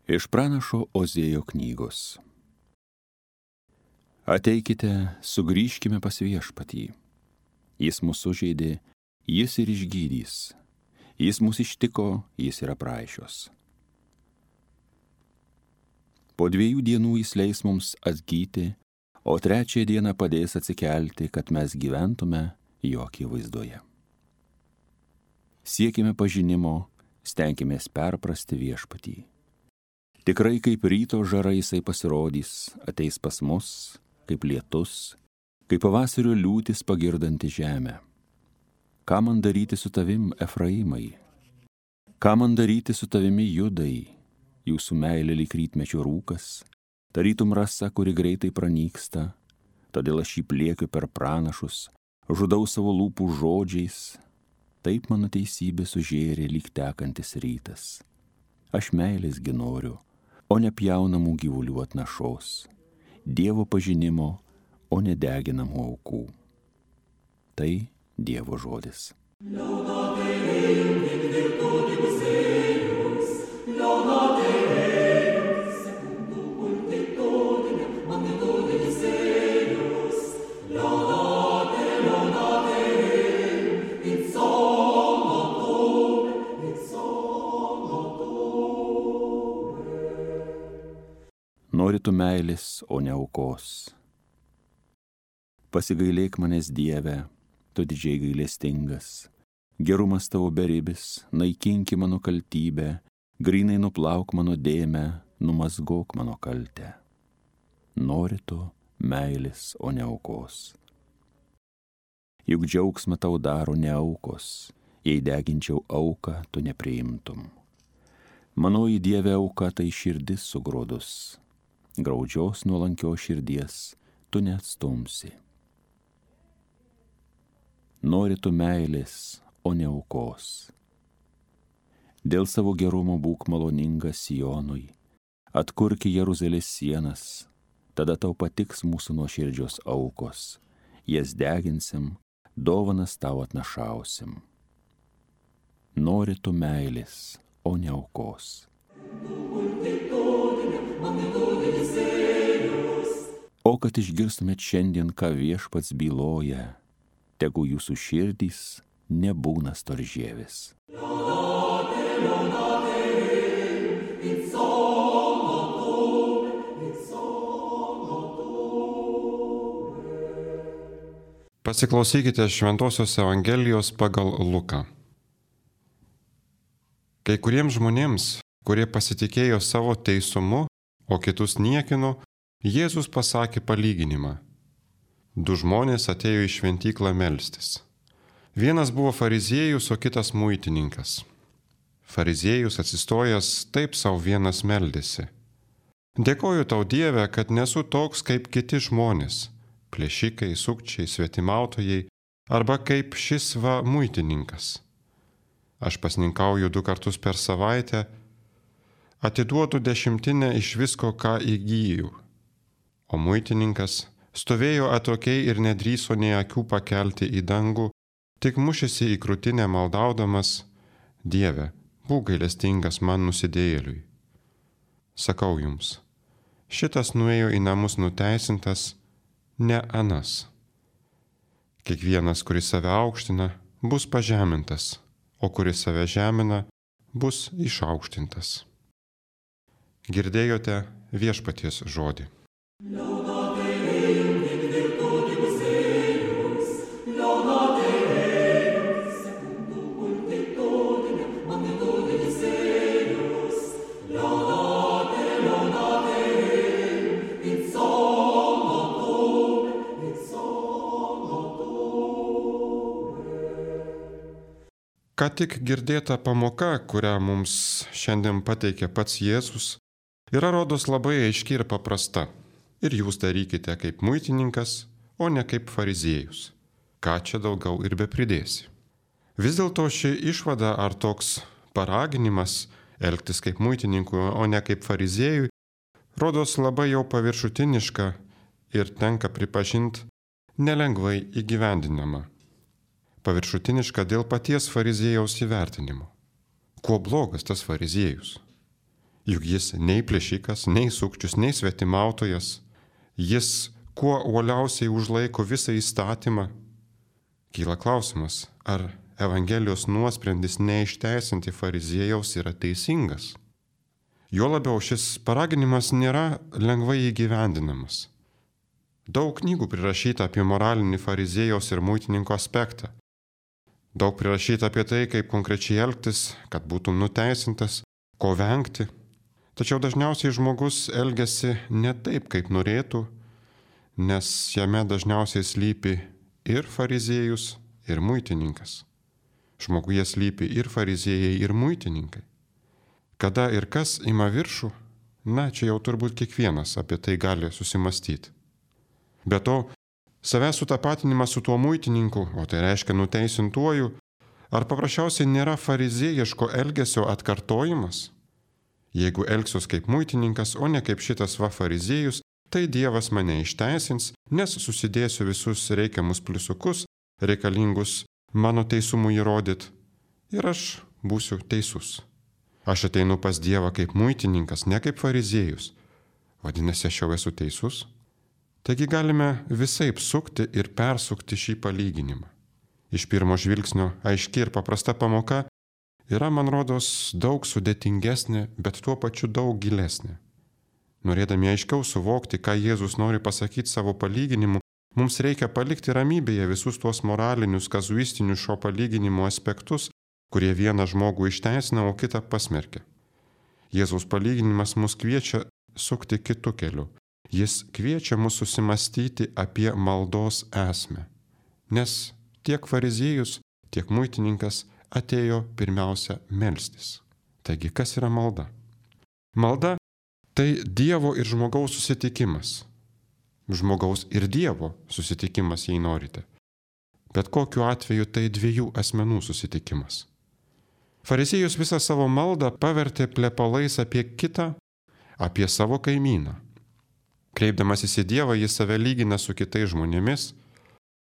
Iš pranašo Ozėjo knygos. Ateikite, sugrįžkime pas Viešpatį. Jis mus sužeidė, jis ir išgydys. Jis mus ištiko, jis yra praaišios. Po 2 dienų jis leis mums atgyti, o 3 dieną padės atsikelti, kad mes gyventume jo akivaizdoje. Siekime pažinimo, stenkimės perprasti Viešpatį. Tikrai kaip ryto žara jisai pasirodys, ateis pas mus, kaip lietus, kaip pavasario liūtis pagirdanti žemę. Ką man daryti su tavim, Efraimai? Ką man daryti su tavimi, Judai? Jūsų meilė lyg rytmečio rūkas, tarytum rasa, kuri greitai pranyksta, todėl aš jį pliekiu per pranašus, žudau savo lūpų žodžiais, taip mano teisybė sužėrė lyg tekantis rytas. Aš meilės gi noriu, o ne pjaunamų gyvulių atnašos, Dievo pažinimo, o ne deginamų aukų. Tai Dievo žodis. Nori tu meilės, o ne aukos. Pasigailėk manęs, Dieve, tu didžiai gailestingas. Gerumas tavo beribis, naikinki mano kaltybę, grynai nuplauk mano dėmę, numazgok mano kaltę. Nori tu meilės, o ne aukos. Juk džiaugsmą tau daro ne aukos, jei deginčiau auką, tu nepriimtum. Manoji Dieve auka tai širdis sugrodus. Graudžios nuolankios širdies tu neatstumsi. Nori tu meilės, o ne aukos. Dėl savo gerumo būk maloningas Sionui, atkurki Jeruzalės sienas, tada tau patiks mūsų nuoširdžios aukos, jas deginsim, dovanas tau atnašausim. Nori tu meilės, o ne aukos. O kad išgirstumėt šiandien, ką Viešpats byloja, tegu jūsų širdys nebūna storžievis. Pasiklausykite Šventosios Evangelijos pagal Luką. Kai kuriems žmonėms, kurie pasitikėjo savo teisumu, o kitus niekino, Jėzus pasakė palyginimą. 2 žmonės atėjo į šventyklą melstis. Vienas buvo fariziejus, o kitas muitininkas. Fariziejus atsistojęs taip savo vienas meldėsi. Dėkoju tau, Dieve, kad nesu toks kaip kiti žmonės, plėšikai, sukčiai, svetimautojai, arba kaip šis muitininkas. Aš pasninkauju 2 kartus per savaitę, atiduodu 10 iš visko, ką įgyju. O muitininkas stovėjo atokiai ir nedrįso nė akių pakelti į dangų, tik mušėsi į krūtinę maldaudamas, Dieve, būk gailestingas man nusidėjėliui. Sakau jums, šitas nuėjo į namus nuteisintas, ne anas. Kiekvienas, kuris save aukština, bus pažemintas, o kuris save žemina, bus išaukštintas. Girdėjote Viešpaties žodį. Ką tik girdėta pamoka, kurią mums šiandien pateikė pats Jėzus, yra rodos labai aiški ir paprasta. Ir jūs darykite kaip muitininkas, o ne kaip fariziejus. Ką čia daugiau ir bepridėsi. Vis dėlto ši išvada ar toks paraginimas elgtis kaip muitininkui, o ne kaip fariziejui, rodos labai jau paviršutiniška ir tenka pripažinti nelengvai įgyvendinama. Paviršutiniška dėl paties fariziejaus įvertinimo. Kuo blogas tas fariziejus? Juk jis nei plėšikas, nei sukčius, nei svetimautojas. Jis kuo uoliausiai užlaiko visą įstatymą. Kyla klausimas, ar Evangelijos nuosprendis neišteisinti fariziejaus yra teisingas. Juo labiau šis paraginimas nėra lengvai įgyvendinamas. Daug knygų prirašyta apie moralinį fariziejaus ir muitininko aspektą. Daug prirašyta apie tai, kaip konkrečiai elgtis, kad būtų nuteisintas, ko vengti. Tačiau dažniausiai žmogus elgiasi ne taip, kaip norėtų, nes jame dažniausiai slypi ir fariziejus, ir muitininkas. Žmoguje slypi ir fariziejai, ir muitininkai. Kada ir kas ima viršų, čia jau turbūt kiekvienas apie tai gali susimastyti. Be to, savęs sutapatinimas su tuo muitininku, o tai reiškia nuteisintuoju, ar paprasčiausiai nėra fariziejiško elgesio atkartojimas? Jeigu elgsiuos kaip muitininkas, o ne kaip šitas fariziejus, tai Dievas mane išteisins, nes susidėsiu visus reikiamus pliusukus, reikalingus mano teisumui įrodyti, ir aš būsiu teisus. Aš ateinu pas Dievą kaip muitininkas, ne kaip fariziejus. Vadinasi, aš jau esu teisus? Taigi galime visaip sukti ir persukti šį palyginimą. Iš pirmo žvilgsnio aiški ir paprasta pamoka yra, man rodos, daug sudėtingesnė, bet tuo pačiu daug gilesnė. Norėdami aiškiau suvokti, ką Jėzus nori pasakyti savo palyginimu, mums reikia palikti ramybėje visus tuos moralinius, kazuistinius šio palyginimo aspektus, kurie vieną žmogų išteisina, o kitą pasmerkia. Jėzaus palyginimas mus kviečia sukti kitu keliu. Jis kviečia mus susimastyti apie maldos esmę. Nes tiek fariziejus, tiek muitininkas atėjo pirmiausia melstis. Taigi, kas yra malda? Malda tai Dievo ir žmogaus susitikimas. Žmogaus ir Dievo susitikimas, jei norite. Bet kokiu atveju tai dviejų asmenų susitikimas. Fariziejus visą savo maldą pavertė plepalais apie kitą, apie savo kaimyną. Kreipdamasis į Dievą, jis save lygina su kitais žmonėmis.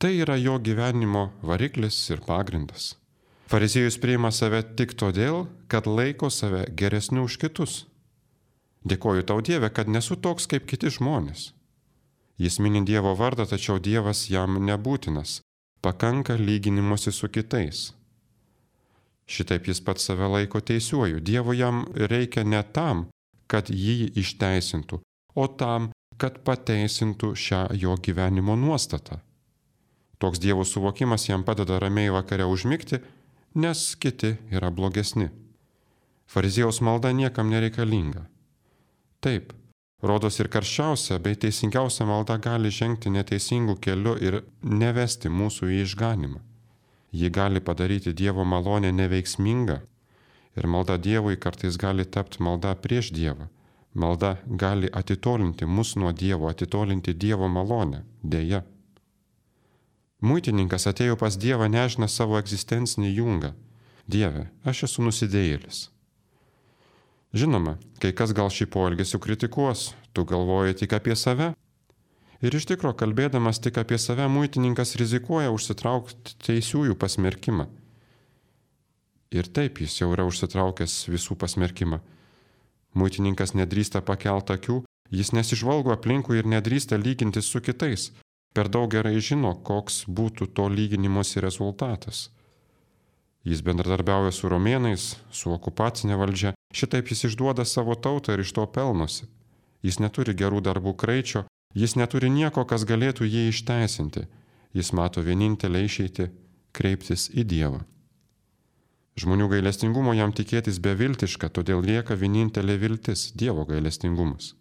Tai yra jo gyvenimo variklis ir pagrindas. Fariziejus priima save tik todėl, kad laiko save geresniu už kitus. Dėkoju tau, Dieve, kad nesu toks kaip kiti žmonės. Jis mini Dievo vardą, tačiau Dievas jam nebūtinas. Pakanka lyginimuose su kitais. Šitaip jis pats save laiko teisiuoju. Dievo jam reikia ne tam, kad jį išteisintų, o tam, kad pateisintų šią jo gyvenimo nuostatą. Toks Dievo suvokimas jam padeda ramiai vakare užmigti, nes kiti yra blogesni. Fariziejaus malda niekam nereikalinga. Taip, rodos ir karščiausia bei teisingiausia malda gali žengti neteisingų keliu ir nevesti mūsų į išganimą. Ji gali padaryti Dievo malonę neveiksmingą ir malda Dievui kartais gali tapti malda prieš Dievą. Malda gali atitolinti mus nuo Dievo, atitolinti Dievo malonę, deja. Muitininkas atėjo pas Dievą nešina savo egzistencinį jungą. Dieve, aš esu nusidėjėlis. Žinoma, kai kas gal šį poelgesį kritikuos, tu galvoji tik apie save. Ir iš tikro, kalbėdamas tik apie save, muitininkas rizikuoja užsitraukti teisiųjų pasmerkimą. Ir taip jis jau yra užsitraukęs visų pasmerkimą. Muitininkas nedrįsta pakelti akių, jis nesižvalgo aplinkui ir nedrįsta lygintis su kitais. Per daug gerai žino, koks būtų to lyginimosi rezultatas. Jis bendradarbiauja su romėnais, su okupacinė valdžia, šitaip jis išduoda savo tautą ir iš to pelnosi. Jis neturi gerų darbų kraičio, jis neturi nieko, kas galėtų jį išteisinti. Jis mato vienintelę išeitį – kreiptis į Dievą. Žmonių gailestingumo jam tikėtis beviltiška, todėl lieka vienintelė viltis – Dievo gailestingumas.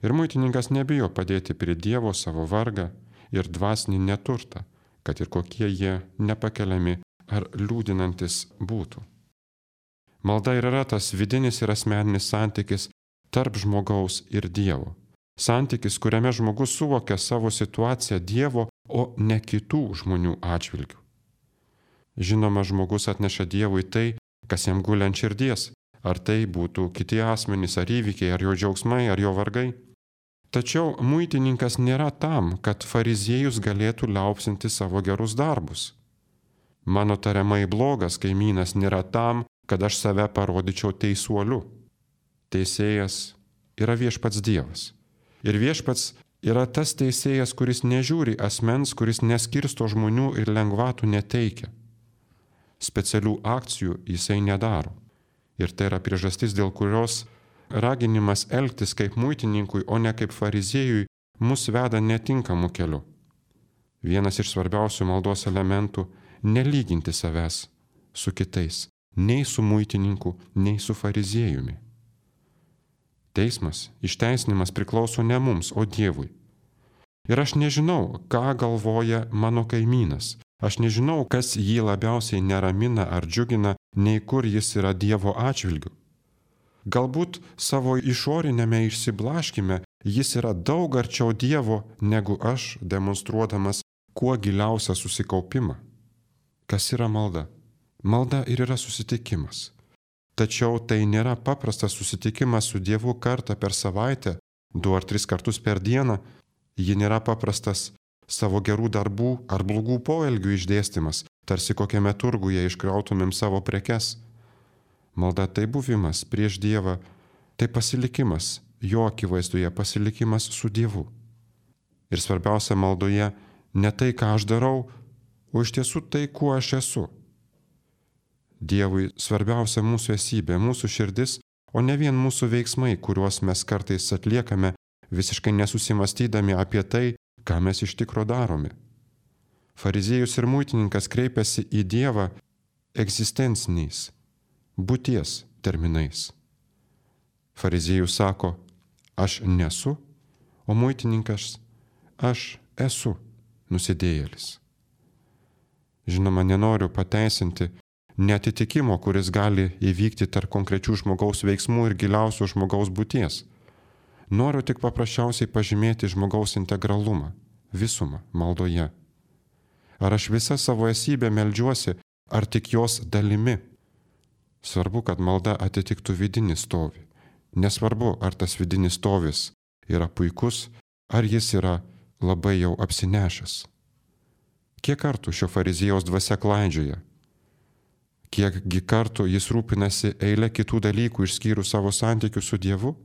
Ir muitininkas nebijo padėti prie Dievo savo vargą ir dvasinį neturtą, kad ir kokie jie nepakeliami ar liūdinantis būtų. Malda ir yra tas vidinis ir asmeninis santykis tarp žmogaus ir Dievo. Santykis, kuriame žmogus suvokia savo situaciją Dievo, o ne kitų žmonių atžvilgių. Žinoma, žmogus atneša Dievui tai, kas jam guli ant širdies, ar tai būtų kiti asmenys, ar įvykiai, ar jo džiaugsmai, ar jo vargai. Tačiau muitininkas nėra tam, kad fariziejus galėtų liaupsinti savo gerus darbus. Mano tariamai blogas kaimynas nėra tam, kad aš save parodyčiau teisuoliu. teisėjas yra viešpats Dievas. Ir viešpats yra tas teisėjas, kuris nežiūri asmens, kuris neskirsto žmonių ir lengvatų neteikia. Specialių akcijų jisai nedaro. Ir tai yra priežastis, dėl kurios raginimas elgtis kaip muitininkui, o ne kaip fariziejui, mus veda netinkamu keliu. Vienas iš svarbiausių maldos elementų – nelyginti savęs su kitais, nei su muitininku, nei su fariziejumi. Teismas, išteisinimas priklauso ne mums, o Dievui. Ir aš nežinau, ką galvoja mano kaimynas. Aš nežinau, kas jį labiausiai neramina ar džiugina, nei kur jis yra Dievo atžvilgiu. Galbūt savo išorinėme išsiblaškime jis yra daug arčiau Dievo negu aš, demonstruodamas kuo giliausią susikaupimą. Kas yra malda? Malda ir yra susitikimas. Tačiau tai nėra paprastas susitikimas su Dievu kartą per savaitę, 2 ar 3 kartus per dieną. Ji nėra paprastas savo gerų darbų ar blogų poelgių išdėstymas, tarsi kokiame turguje iškrautumėm savo prekes. Malda tai buvimas prieš Dievą, tai pasilikimas, jo akivaizdoje pasilikimas su Dievu. Ir svarbiausia maldoje ne tai, ką aš darau, o iš tiesų tai, kuo aš esu. Dievui svarbiausia mūsų esybė, mūsų širdis, o ne vien mūsų veiksmai, kuriuos mes kartais atliekame, visiškai nesusimastydami apie tai, ką mes iš tikro darome. Fariziejus ir muitininkas kreipiasi į Dievą egzistenciniais, būties terminais. Fariziejus sako, aš nesu, o muitininkas, aš esu nusidėjėlis. Žinoma, nenoriu pateisinti neatitikimo, kuris gali įvykti tarp konkrečių žmogaus veiksmų ir giliausio žmogaus būties. Noriu tik paprasčiausiai pažymėti žmogaus integralumą, visumą maldoje. Ar aš visą savo esybę meldžiuosi, ar tik jos dalimi? Svarbu, kad malda atitiktų vidinį stovį. Nesvarbu, ar tas vidinis stovis yra puikus, ar jis yra labai jau apsinešęs. Kiek kartų šio fariziejaus dvasia klaidžioja? Kiekgi kartų jis rūpinasi eilę kitų dalykų išskyrus savo santykių su Dievu?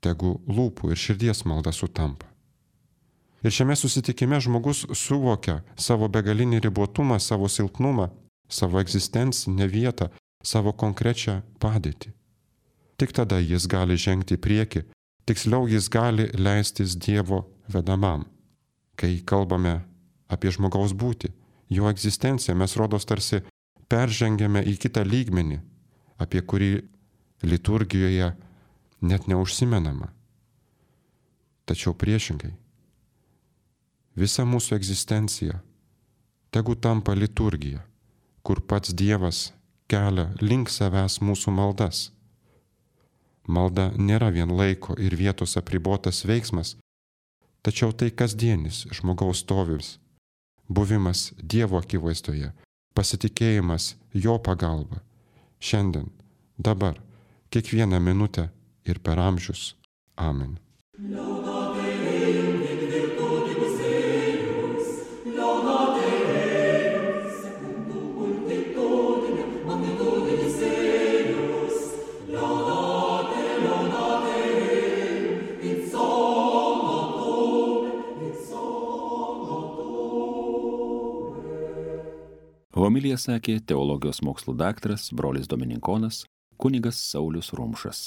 Tegu lūpų ir širdies malda sutampa. Ir šiame susitikime žmogus suvokia savo begalinį ribotumą, savo silpnumą, savo egzistencinę vietą, savo konkrečią padėtį. Tik tada jis gali žengti į priekį, tiksliau jis gali leistis Dievo vedamam. Kai kalbame apie žmogaus būtį, jo egzistenciją, mes rodos tarsi peržengėme į kitą lygmenį, apie kurį liturgijoje net neužsimenama. Tačiau priešingai, visa mūsų egzistencija tegu tampa liturgija, kur pats Dievas kelia link savęs mūsų maldas. Malda nėra vien laiko ir vietos apribotas veiksmas, tačiau tai kasdienis žmogaus stovis, buvimas Dievo akivaizdoje, pasitikėjimas jo pagalba, šiandien, dabar, kiekvieną minutę ir per amžius. Amen. Homiliją sakė teologijos mokslų daktaras, brolis dominikonas, kunigas Saulius Rumšas.